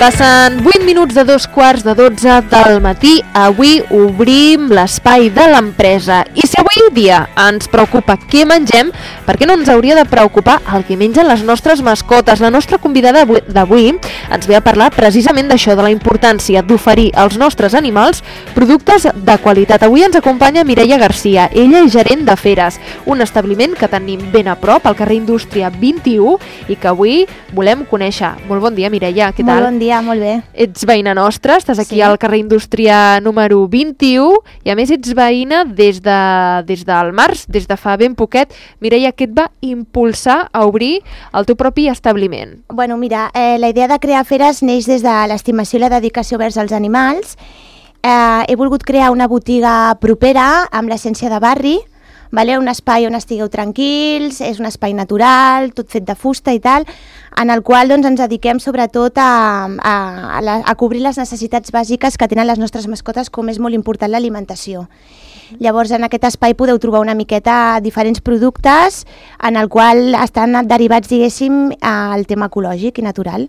Passen 8 minuts de 2:15 del matí. Avui obrim l'espai de l'empresa. I si avui dia ens preocupa què mengem, per què no ens hauria de preocupar el que mengen les nostres mascotes? La nostra convidada d'avui ens ve a parlar precisament d'això, de la importància d'oferir als nostres animals productes de qualitat. Avui ens acompanya Mireia Garcia. Ella és gerent de Feres, un establiment que tenim ben a prop, al carrer Indústria 21, i que avui volem conèixer. Molt bon dia, Mireia, què tal? Molt bon dia, molt bé. Ets veïna nostra, estàs aquí Sí. al carrer Indústria número 21 i a més ets veïna des del març, des de fa ben poquet. Mireia, què et va impulsar a obrir el teu propi establiment? Bueno, mira, la idea de crear Feres neix des de l'estimació i la dedicació vers els animals. He volgut crear una botiga propera amb l'essència de barri, vale? Un espai on estigueu tranquils, és un espai natural, tot fet de fusta i tal, en el qual doncs, ens dediquem sobretot a cobrir les necessitats bàsiques que tenen les nostres mascotes, com és molt important l'alimentació. Llavors, en aquest espai podeu trobar una miqueta diferents productes en el qual estan derivats, diguéssim, al tema ecològic i natural.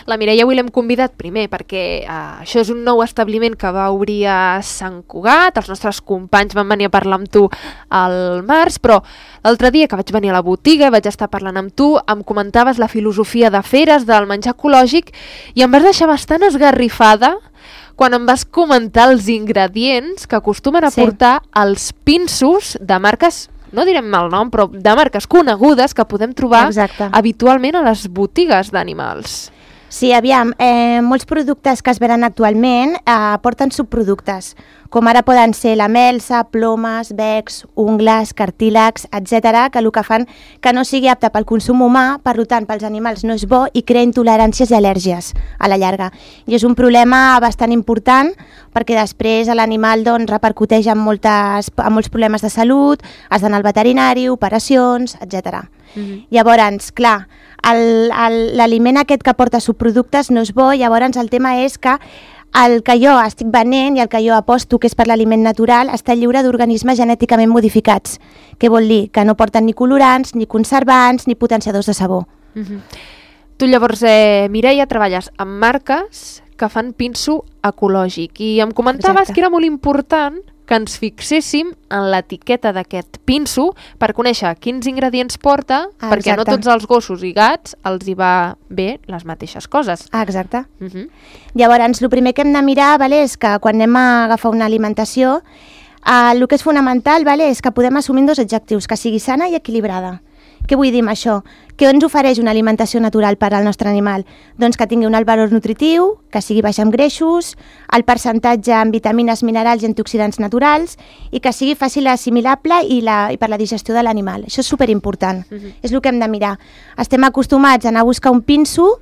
La Mireia avui l'hem convidat primer perquè això és un nou establiment que va obrir a Sant Cugat. Els nostres companys van venir a parlar amb tu al març, però l'altre dia que vaig venir a la botiga, vaig estar parlant amb tu, em comentaves la filosofia de Feres, del menjar ecològic, i em vas deixar bastant esgarrifada quan em vas comentar els ingredients que acostumen a portar els pinsos de marques, no direm mal nom, però de marques conegudes que podem trobar habitualment a les botigues d'animals. Sí, aviam, molts productes que es venen actualment porten subproductes, com ara poden ser la melsa, plomes, becs, ungles, cartílags, etc., que el que fan que no sigui apte pel consum humà, per tant, pels animals no és bo i crea intoleràncies i al·lèrgies a la llarga. I és un problema bastant important perquè després l'animal doncs, repercuteix en molts problemes de salut, has d'anar al veterinari, operacions, etc. Llavors, clar, l'aliment aquest que porta subproductes no és bo, llavors el tema és que el que jo estic venent i el que jo aposto, que és per l'aliment natural, està lliure d'organismes genèticament modificats. Què vol dir? Que no porten ni colorants, ni conservants, ni potenciadors de sabor. Tu llavors, Mireia, treballes amb marques que fan pinso ecològic i em comentaves que era molt important que ens fixéssim en l'etiqueta d'aquest pinso per conèixer quins ingredients porta, perquè no tots els gossos i gats els hi va bé les mateixes coses. Exacte. Llavors, el primer que hem de mirar és que quan anem a agafar una alimentació, el que és fonamental és que podem assumir dos adjectius, que sigui sana i equilibrada. Què vull dir amb això? Què ens ofereix una alimentació natural per al nostre animal? Doncs que tingui un alt valor nutritiu, que sigui baix en greixos, el percentatge en vitamines, minerals i antioxidants naturals i que sigui fàcil assimilable i per la digestió de l'animal. Això és superimportant. És el que hem de mirar. Estem acostumats a anar a buscar un pinso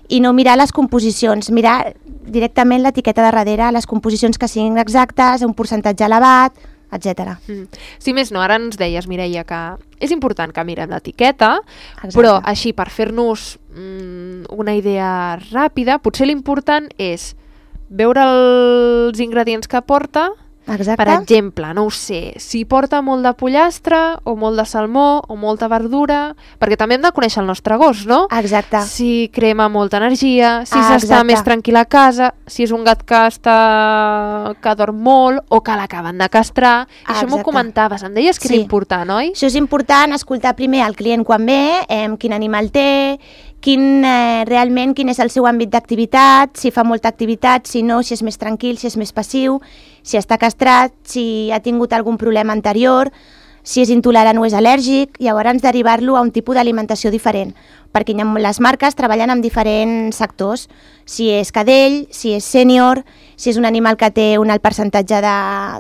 i no mirar les composicions, mirar directament l'etiqueta de darrere, les composicions que siguin exactes, un percentatge elevat, etc. Si més no, ara ens deies, Mireia, que és important que mirem l'etiqueta, però així per fer-nos una idea ràpida, potser l'important és veure els ingredients que porta. Per exemple, no ho sé, si porta molt de pollastre o molt de salmó o molta verdura, perquè també hem de conèixer el nostre gos, no? Exacte. Si crema molta energia, si s'està més tranquil a casa, si és un gat que dorm molt o que l'acaben de castrar. Això m'ho comentaves, em deies que era important, oi? Això és important, escoltar primer el client quan ve, quin animal té, realment quin és el seu àmbit d'activitat, si fa molta activitat, si no, si és més tranquil, si és més passiu, si està castrat, si ha tingut algun problema anterior, si és intolerant o és al·lèrgic, llavors derivar-lo a un tipus d'alimentació diferent, perquè les marques treballen amb diferents sectors, si és cadell, si és sènior, si és un animal que té un alt percentatge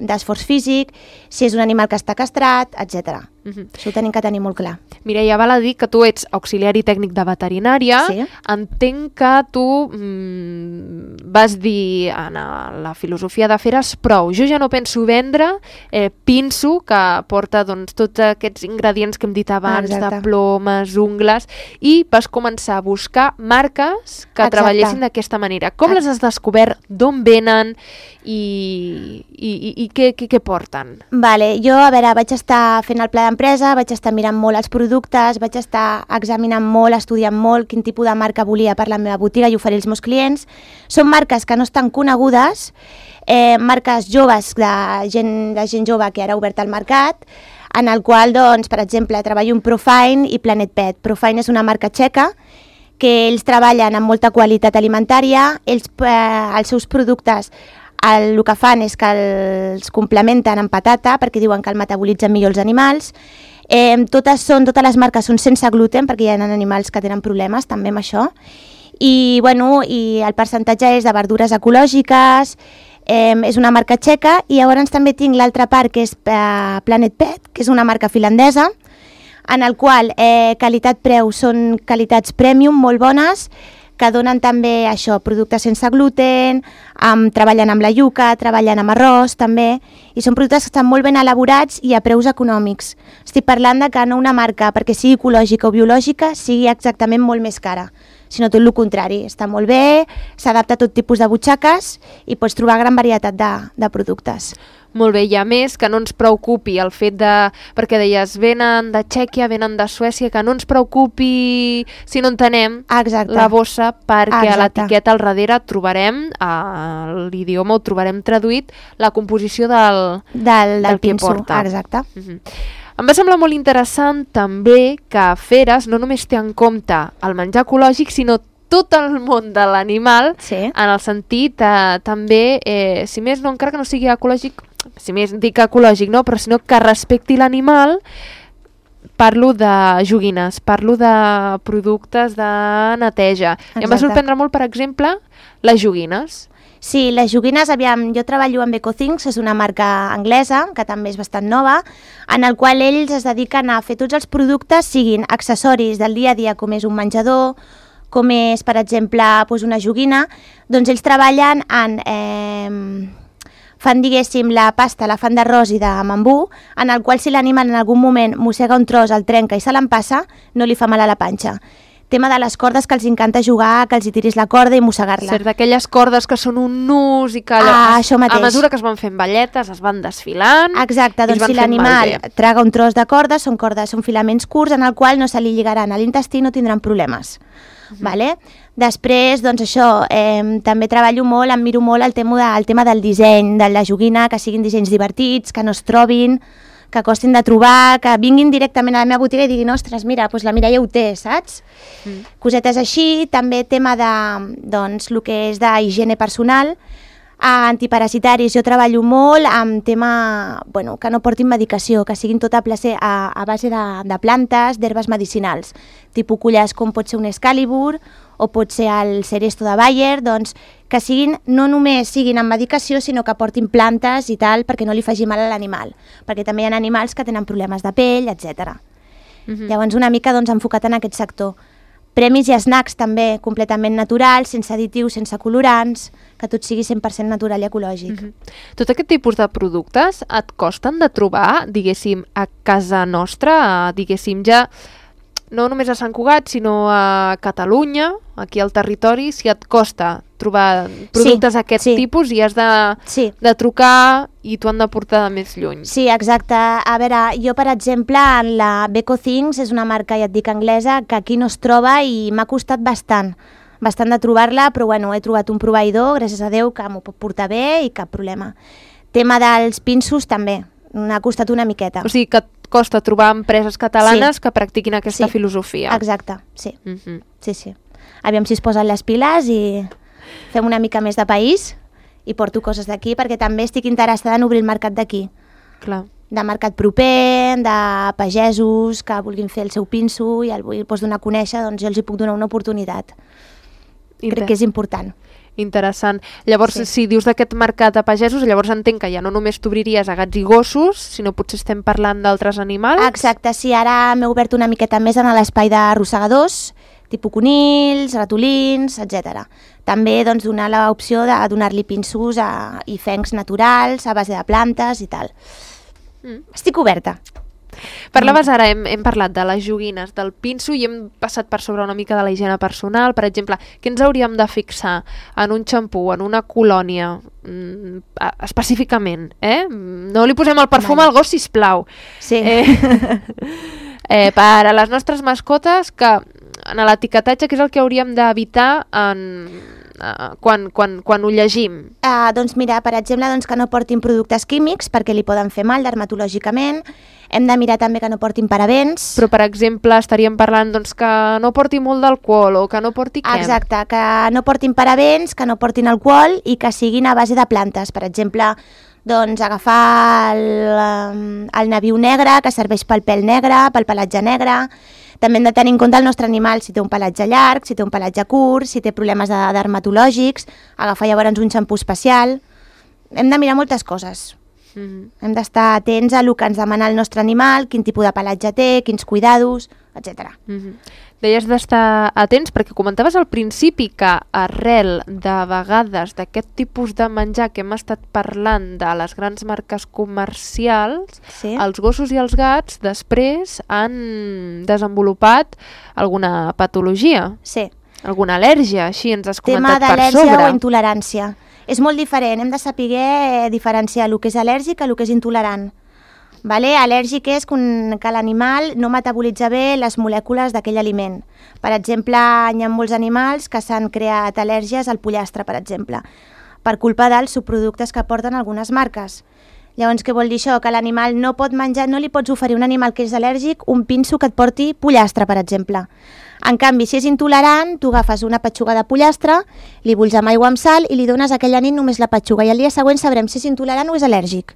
d'esforç físic, si és un animal que està castrat, etc. Això ho tenim que tenir molt clar. Mireia, val a dir que tu ets auxiliari tècnic de veterinària. Entenc que tu vas dir en la filosofia de Feres prou. Jo ja no penso vendre pinso que porta tots aquests ingredients que hem dit abans, de plomes, ungles, i i vas començar a buscar marques que treballessin d'aquesta manera. Com les has descobert? D'on venen? I què porten? Vale, jo, a veure, vaig estar fent el pla d'empresa, vaig estar mirant molt els productes, vaig estar examinant molt, estudiant molt quin tipus de marca volia per la meva botiga i oferir als meus clients. Són marques que no estan conegudes, marques joves de gent jove que ara ha obert el mercat, en el qual, doncs, per exemple, treballo amb Profine i Planet Pet. Profine és una marca txeca que ells treballen amb molta qualitat alimentària, els seus productes el que fan és que els complementen amb patata perquè diuen que el metabolitzen millor els animals. Totes les marques són sense gluten perquè hi ha animals que tenen problemes també amb això. I el percentatge és de verdures ecològiques, és una marca txeca, i llavors també tinc l'altra part que és Planet Pet, que és una marca finlandesa, en el qual qualitat-preu són qualitats premium molt bones, que donen també això, productes sense gluten, treballen amb la iuca, treballen amb arròs també, i són productes que estan molt ben elaborats i a preus econòmics. Estic parlant de que no una marca, perquè sigui ecològica o biològica, sigui exactament molt més cara, sinó tot el contrari, està molt bé, s'adapta a tot tipus de butxaques i pots trobar gran varietat de productes. Molt bé, i a més que no ens preocupi el fet de, perquè deies, venen de Txèquia, venen de Suècia, que no ens preocupi si no entenem la bossa, perquè a l'etiqueta al darrere trobarem, l'idioma ho trobarem traduït, la composició del que porta. Exacte. Em va semblar molt interessant també que Feres no només té en compte el menjar ecològic, sinó tot el món de l'animal, en el sentit també, si més no, encara que no sigui ecològic, si més dic ecològic, no, però sinó que respecti l'animal. Parlo de joguines, parlo de productes de neteja. I em va sorprendre molt, per exemple, les joguines. Sí, les joguines, aviam, jo treballo amb EcoThings, és una marca anglesa, que també és bastant nova, en el qual ells es dediquen a fer tots els productes, siguin accessoris del dia a dia, com és un menjador, com és, per exemple, una joguina, doncs ells treballen fan, diguéssim, la pasta, la fan d'arròs i de bambú, en el qual si l'animal en algun moment mossega un tros, el trenca i se l'empassa, no li fa mal a la panxa. Tema de les cordes, que els encanta jugar, que els hi tiris la corda i mossegar-la. Cert, d'aquelles cordes que són un nus i que a mesura que es van fent balletes es van desfilant. Exacte, doncs si l'animal traga un tros de corda, són filaments curts en el qual no se li lligaran a l'intestí, no tindran problemes. Després, doncs això, també treballo molt, em miro molt el tema del disseny, de la joguina, que siguin dissenys divertits, que no es trobin, que costin de trobar, que vinguin directament a la meva botiga i diguin, ostres, mira, doncs la Mireia ho té, saps? Cosetes així, també tema de, doncs, el que és d'higiene personal, antiparasitaris, jo treballo molt amb tema, que no portin medicació, que siguin tot a base de plantes, d'herbes medicinals, tipus culles com pot ser un Excalibur o pot ser el Seresto de Bayer, doncs que no només siguin amb medicació, sinó que portin plantes i tal, perquè no li faci mal a l'animal, perquè també hi ha animals que tenen problemes de pell, etc. Llavors una mica enfocat en aquest sector. Premis i snacks també completament naturals, sense additius, sense colorants, que tot sigui 100% natural i ecològic. Tot aquest tipus de productes et costen de trobar, diguéssim, a casa nostra, diguéssim, ja no només a Sant Cugat, sinó a Catalunya, aquí al territori, si et costa trobar productes d'aquest tipus i has de trucar i t'ho han de portar de més lluny. Sí, exacte. A veure, jo, per exemple, en la EcoThings és una marca, ja et dic, anglesa, que aquí no es troba i m'ha costat bastant de trobar-la, però he trobat un proveïdor, gràcies a Déu, que m'ho pot portar bé i cap problema. Tema dels pinsos també, m'ha costat una miqueta. O sigui que et costa trobar empreses catalanes que practiquin aquesta filosofia. Exacte, sí. Sí. Aviam si es posen les piles i fem una mica més de país i porto coses d'aquí, perquè també estic interessada en obrir el mercat d'aquí. Clar. De mercat proper, de pagesos que vulguin fer el seu pinso i el vull donar a conèixer, doncs jo els hi puc donar una oportunitat. Crec que és important. Interessant. Llavors, si dius d'aquest mercat de pagesos, llavors entenc que ja no només t'obriries a gats i gossos, sinó potser estem parlant d'altres animals? Exacte, sí, ara m'he obert una miqueta més en l'espai d'arrossegadors, tipus conills, ratolins, etc. També donar l'opció de donar-li pinsos i fencs naturals a base de plantes i tal. Estic oberta. Parlaves ara, hem parlat de les joguines, del pinso, i hem passat per sobre una mica de la higiene personal. Per exemple, què ens hauríem de fixar en un xampú, en una colònia, específicament? No li posem el perfum al gos, sisplau. Sí. Per a les nostres mascotes, que en l'etiquetatge, què és el que hauríem d'evitar quan ho llegim? Doncs mira, per exemple, que no portin productes químics perquè li poden fer mal dermatològicament. Hem de mirar també que no portin parabens. Però, per exemple, estaríem parlant que no porti molt d'alcohol o que no porti què? Exacte, que no portin parabens, que no portin alcohol i que siguin a base de plantes. Per exemple, agafar el nabiu negre, que serveix pel pèl negre, pel pelatge negre. També hem de tenir en compte el nostre animal, si té un pelatge llarg, si té un pelatge curt, si té problemes dermatològics, agafar llavors un xampú especial. Hem de mirar moltes coses. Hem d'estar atents a el que ens demana el nostre animal, quin tipus de pelatge té, quins cuidados, etc. Deies d'estar atents perquè comentaves al principi que arrel de vegades d'aquest tipus de menjar que hem estat parlant de les grans marques comercials, els gossos i els gats després han desenvolupat alguna patologia, alguna al·lèrgia, així ens has comentat per sobre. Tema d'al·lèrgia o intolerància. És molt diferent, hem de saber diferenciar el que és al·lèrgic i el que és intolerant. Al·lèrgic és que l'animal no metabolitza bé les molècules d'aquell aliment. Per exemple, hi ha molts animals que s'han creat al·lèrgies al pollastre, per exemple, per culpa dels subproductes que porten algunes marques. Llavors, què vol dir això? Que l'animal no pot menjar, no li pots oferir a un animal que és al·lèrgic un pinso que et porti pollastre, per exemple. En canvi, si és intolerant, tu agafes una petxuga de pollastre, li bulls amb aigua amb sal i li dones aquella nit només la petxuga i el dia següent sabrem si és intolerant o és al·lèrgic.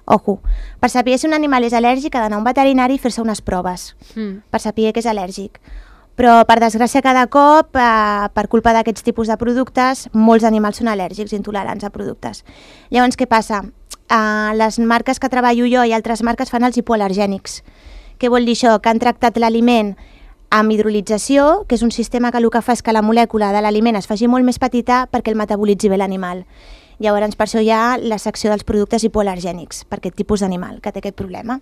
Ojo, per saber si un animal és al·lèrgic ha d'anar a un veterinari i fer-se unes proves per saber que és al·lèrgic. Però, per desgràcia, cada cop, per culpa d'aquests tipus de productes, molts animals són al·lèrgics, intolerants a productes. Llavors, què passa? Les marques que treballo jo i altres marques fan els hipoal·lergènics. Què vol dir això? Que han tractat l'aliment amb hidrolització, que és un sistema que el que fa és que la molècula de l'aliment es faci molt més petita perquè el metabolitzi bé l'animal. Llavors, per això hi ha la secció dels productes hipoal·lergènics, per aquest tipus d'animal que té aquest problema.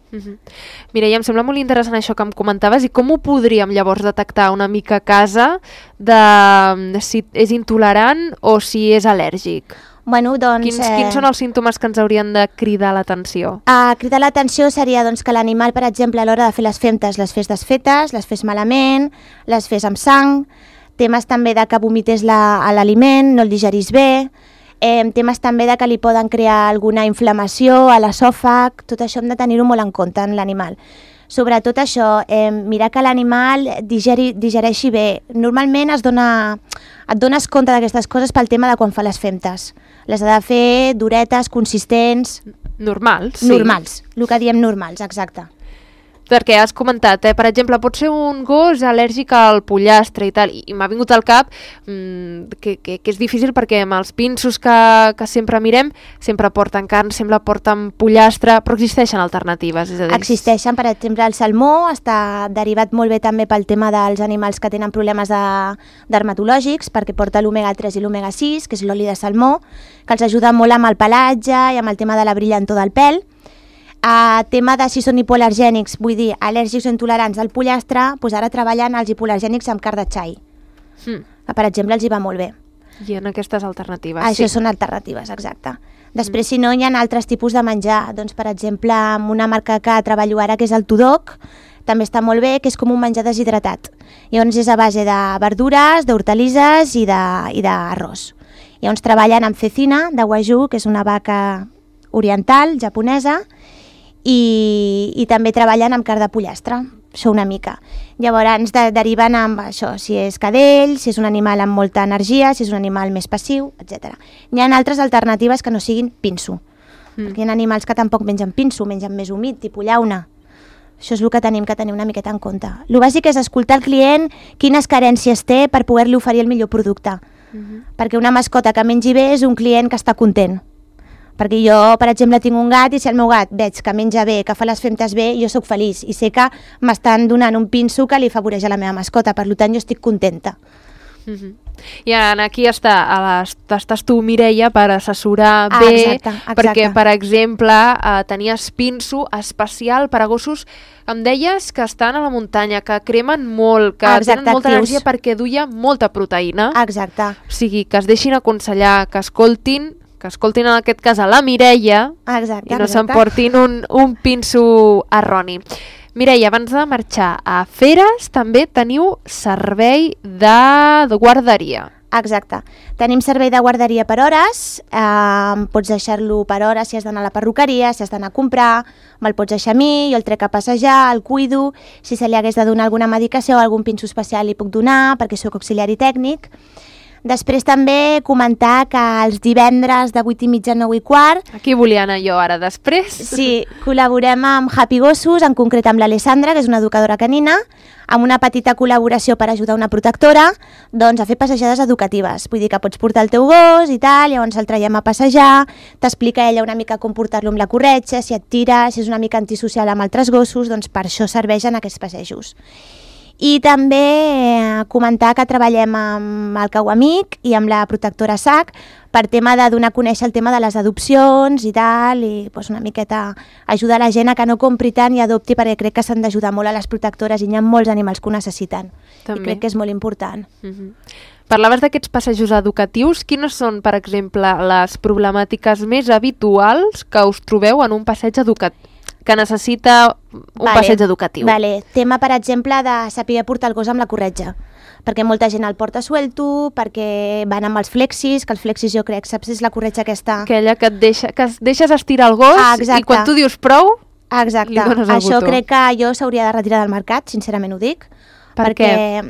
Mira, em sembla molt interessant això que em comentaves, i com ho podríem llavors detectar una mica a casa de si és intolerant o si és al·lèrgic? Quins són els símptomes que ens haurien de cridar l'atenció? Cridar l'atenció seria que l'animal, per exemple, a l'hora de fer les femtes, les fes desfetes, les fes malament, les fes amb sang, temes també de que vomités l'aliment, no el digerís bé, temes també de que li poden crear alguna inflamació a l'esòfag, tot això hem de tenir-ho molt en compte en l'animal. Sobretot això, mirar que l'animal digereixi bé. Normalment et dones compte d'aquestes coses pel tema de quan fa les femtes. Les ha de fer duretes, consistents... Normals, sí. Normals, el que diem normals, exacte. Perquè has comentat, per exemple, pot ser un gos al·lèrgic al pollastre i tal, i m'ha vingut al cap que és difícil perquè amb els pinsos que sempre mirem sempre porten carn, sempre porten pollastre, però existeixen alternatives. És a dir... Existeixen, per exemple, el salmó està derivat molt bé també pel tema dels animals que tenen problemes dermatològics, perquè porta l'omega 3 i l'omega 6, que és l'oli de salmó, que els ajuda molt amb el pelatge i amb el tema de la brillantor del pèl. Tema de si són hipoal·lergènics, vull dir, al·lèrgics o intolerants al pollastre, doncs ara treballen els hipoal·lergènics amb carn de xai. Per exemple, els hi va molt bé. I en aquestes alternatives, Això són alternatives, exacte. Després, si no, hi ha altres tipus de menjar. Doncs, per exemple, amb una marca que treballo ara, que és el Tudoc, també està molt bé, que és com un menjar deshidratat. Llavors és a base de verdures, d'hortalisses i d'arròs. Llavors treballen amb cecina, de wagyu, que és una vaca oriental, japonesa, i també treballen amb carn de pollastre, això una mica. Llavors ens deriven amb això, si és cadell, si és un animal amb molta energia, si és un animal més passiu, etc. Hi ha altres alternatives que no siguin pinso, perquè hi ha animals que tampoc mengen pinso, mengen més humit, tipus llauna. Això és el que tenim que tenir una miqueta en compte. El bàsic és escoltar el client, quines carències té per poder-li oferir el millor producte. Perquè una mascota que mengi bé és un client que està content. Perquè jo, per exemple, tinc un gat i si el meu gat veig que menja bé, que fa les femtes bé, jo sóc feliç i sé que m'estan donant un pinso que li afavoreix a la meva mascota, per tant jo estic contenta. I aquí estàs tu, Mireia, per assessorar bé, exacte. perquè, per exemple, tenies pinso especial per a gossos, em deies que estan a la muntanya, que cremen molt, que tenen molta energia perquè duia molta proteïna. Exacte. O sigui, que es deixin aconsellar, que escoltin en aquest cas a la Mireia i no s'emportin un pinso erroni. Mireia, abans de marxar a Feres, també teniu servei de guarderia. Exacte. Tenim servei de guarderia per hores, pots deixar-lo per hores si has d'anar a la perruqueria, si has d'anar a comprar, me'l pots deixar a mi, jo el trec a passejar, el cuido, si se li hagués de donar alguna medicació o algun pinso especial li puc donar, perquè sóc auxiliari tècnic. Després també comentar que els divendres de 8:30 a 9:15... Aquí volia anar jo ara, després. Sí, col·laborem amb Happy Gossos, en concret amb l'Alessandra, que és una educadora canina, amb una petita col·laboració per ajudar una protectora doncs, a fer passejades educatives. Vull dir que pots portar el teu gos i tal, llavors el traiem a passejar, t'explica ella una mica com portar-lo amb la corretja, si et tira, si és una mica antisocial amb altres gossos, doncs per això serveixen aquests passejos. I també comentar que treballem amb el Cauamic i amb la protectora SAC per tema de donar a conèixer el tema de les adopcions i tal, i doncs una miqueta ajudar la gent a que no compri tant i adopti, perquè crec que s'han d'ajudar molt a les protectores i hi ha molts animals que ho necessiten. També. I crec que és molt important. Parlaves d'aquests passejos educatius. Quines són, per exemple, les problemàtiques més habituals que us trobeu en un passeig educatiu? Que necessita un passeig educatiu. Tema, per exemple, de saber portar el gos amb la corretja, perquè molta gent el porta suelto, perquè van amb els flexis, que els flexis jo crec, saps, és la corretja aquesta... Aquella que deixes estirar el gos i quan tu dius prou, li dones el botó. Això crec que jo s'hauria de retirar del mercat, sincerament ho dic. Perquè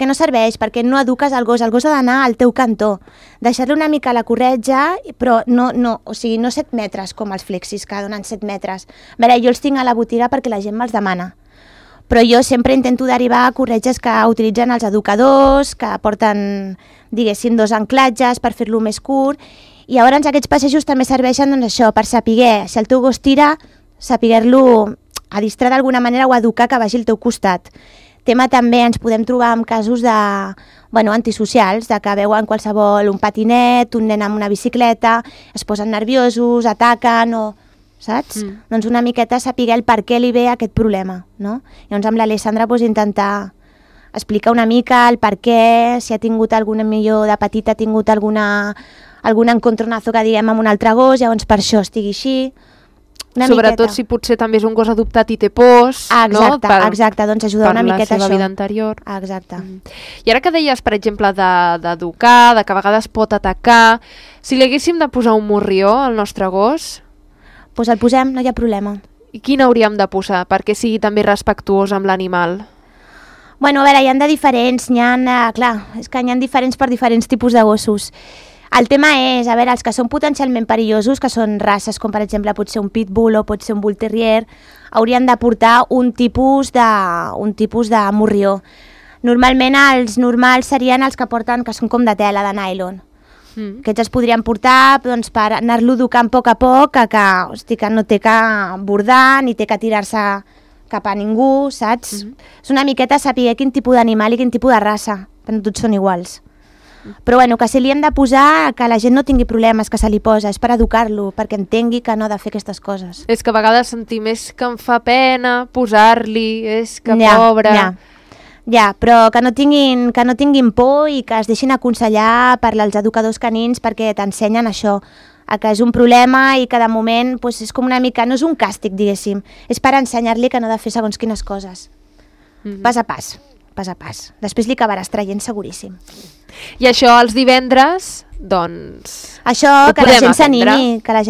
no serveix, perquè no eduques el gos ha d'anar al teu cantó, deixar-li una mica la corretja, però no 7 metres com els flexis, que donen 7 metres. A veure, jo els tinc a la botiga perquè la gent me'ls demana, però jo sempre intento derivar a corretges que utilitzen els educadors, que porten, diguéssim, 2 anclatges per fer-lo més curt, i llavors aquests passejos també serveixen doncs, això, per saber, si el teu gos tira, saber-lo adistrar d'alguna manera o educar que vagi al teu costat. Tema també ens podem trobar amb casos antisocials, de que veuen qualsevol un patinet, un nen amb una bicicleta, es posen nerviosos, ataquen o... saps? Doncs una miqueta saber el per què li ve aquest problema, no? Llavors amb l'Alessandra intentar explicar una mica el per què, si ha tingut millor de petita, ha tingut algun encontronazo que diguem amb un altre gos, llavors per això estigui així... Sobretot si potser també és un gos adoptat i té pors, exacte, doncs ajudar una miqueta per la seva vida anterior. Exacte. I ara que deies, per exemple, d'educar, de que a vegades pot atacar, si li haguéssim de posar un morrió al nostre gos... Doncs el posem, no hi ha problema. I quin hauríem de posar perquè sigui també respectuós amb l'animal? Bueno, a veure, hi ha de diferents, és que hi ha diferents per diferents tipus de gossos. El tema és, a veure, els que són potencialment perillosos, que són races com per exemple pot ser un pitbull o pot ser un bull terrier, haurien de portar un tipus de morrió. Normalment els normals serien els que porten, que són com de tela, de nylon. Aquests es podrien portar doncs, per anar-lo educant a poc, que no té que bordar ni té que tirar-se cap a ningú, saps? És una miqueta saber quin tipus d'animal i quin tipus de raça, perquè no tots són iguals. Però bueno, que si li hem de posar, que la gent no tingui problemes, que se li posa, és per educar-lo, perquè entengui que no ha de fer aquestes coses. És que a vegades sentir més que em fa pena posar-li, és que pobre... Ja, però que no tinguin por i que es deixin aconsellar per als educadors canins perquè t'ensenyen això, que és un problema i que de moment doncs, és com una mica, no és un càstig, diguéssim, és per ensenyar-li que no ha de fer segons quines coses. Pas a pas. Després li acabaràs traient seguríssim. I això els divendres, doncs... Això, que la gent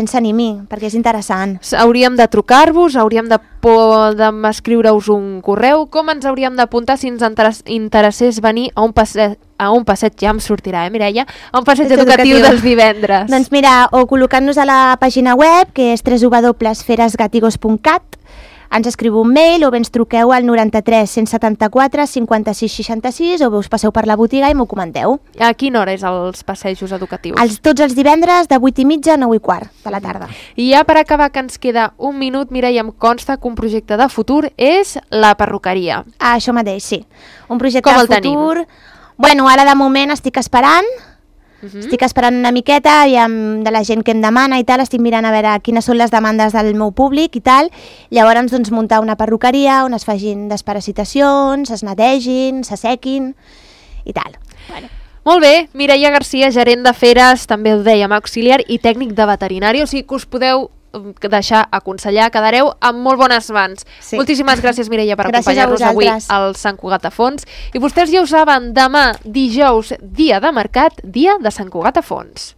s'animi, perquè és interessant. Hauríem de trucar-vos, hauríem d'escriure-us un correu. Com ens hauríem d'apuntar si ens interessés venir a un passeig, ja em sortirà, Mireia, a un passeig educatiu dels divendres? Doncs mira, o col·locant-nos a la pàgina web, que és www.feresgatigos.cat, ens escriu un mail o bé ens truqueu al 93 174 56 66 o bé us passeu per la botiga i m'ho comenteu. A quina hora és els passejos educatius? Tots els divendres de 8:30 a 9:15 de la tarda. I ja per acabar, que ens queda un minut, Mireia, em consta que un projecte de futur és la perruqueria. Això mateix, sí. Un projecte de futur... Bueno, ara de moment estic esperant. Estic esperant una miqueta i de la gent que em demana i tal, estic mirant a veure quines són les demandes del meu públic i tal. Llavors, doncs, muntar una perruqueria on es facin desparasitacions, es netegin, s'assequin i tal. Bueno. Molt bé, Mireia Garcia, gerent de feres, també ho dèiem, auxiliar i tècnic de veterinari, o sigui que us podeu deixar aconsellar, quedareu amb molt bones mans. Sí. Moltíssimes gràcies, Mireia, per acompanyar-nos avui al Sant Cugat a Fons. I vostès ja ho saben, demà, dijous, dia de mercat, dia de Sant Cugat a Fons.